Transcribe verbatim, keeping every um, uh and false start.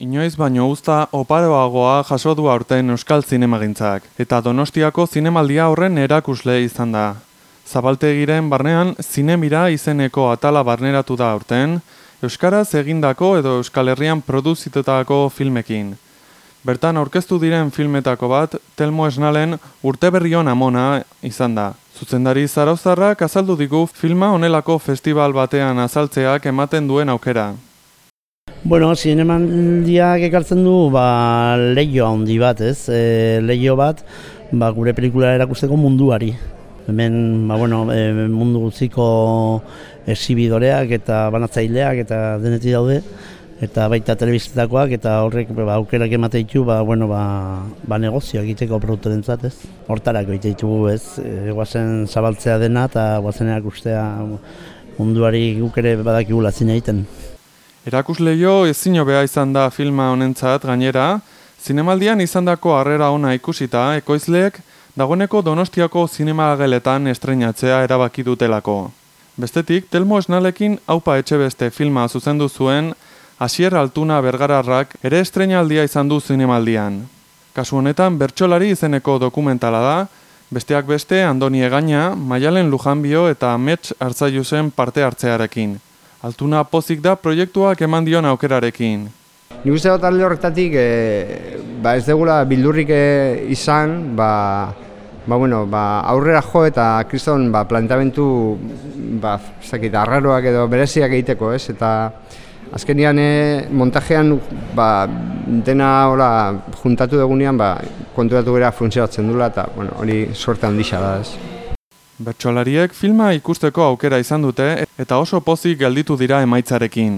Inoiz baino uzta oparoagoa jaso du aurten euskal zinemagintzak, eta Donostiako zinemaldia horren erakusle izan da. Zabaltegiren barnean Zinemira izeneko atala barneratu da aurten, euskaraz egindako edo Euskal Herrian produzitutako filmekin. Bertan aurkeztu diren filmetako bat, Telmo Esnalen Urteberrion amona izan da. Zuzendari zarauztarrak azaldu digu filma honelako festival batean azaltzeak ematen duen aukera. Bueno, zinemaldiak ekartzen du ba, leiho handi bat, ez? E, leiho bat ba, gure pelikula erakusteko munduari. Hemen ba, bueno, e, mundu guztiko exhibidoreak eta banatzaileak eta denetik daude, eta baita telebistetakoak eta horrek ba, aukerak emate ditu ba, bueno, ba, ba, negozio egiteko produktorentzat, ez? Hortarako egite ditugu, ez? E, guazen zabaltzea dena eta guazen erakustea munduari guk ere badakigula zine egiten. Erakusleio ezin hobea izan da filma honentzat gainera, zinemaldian izandako harrera ona ikusita, ekoizleek dagoeneko Donostiako zinemageletan estreinatzea erabaki dutelako. Bestetik, Telmo Esnalekin Aupa Etxebeste filma zuzendu zuen Asier Altuna Bergararrak ere estreinaldia izan du zinemaldian. Kasu honetan Bertsolari izeneko dokumentala da, besteak beste Andoni Egaña, Maialen Lujanbio eta Amets Arzaiusen parte hartzearekin. Altuna pozik da proiektuak eman dion aukerarekin. Nik uste dut alde horretatik e, ba ez degula bildurrik e, izan, ba, ba, bueno, ba, aurrera jo eta kriston ba, planteamendu ba, zakit, arraroak edo bereziak egiteko, ez? Eta azkenian e, montajean ba, dena hola, juntatu dugunean ba, konturatu gara funtzionatzen dula eta bueno, hori sorte handia da, ez? Bertsolariek filma ikusteko aukera izan dute eta oso pozik gelditu dira emaitzarekin.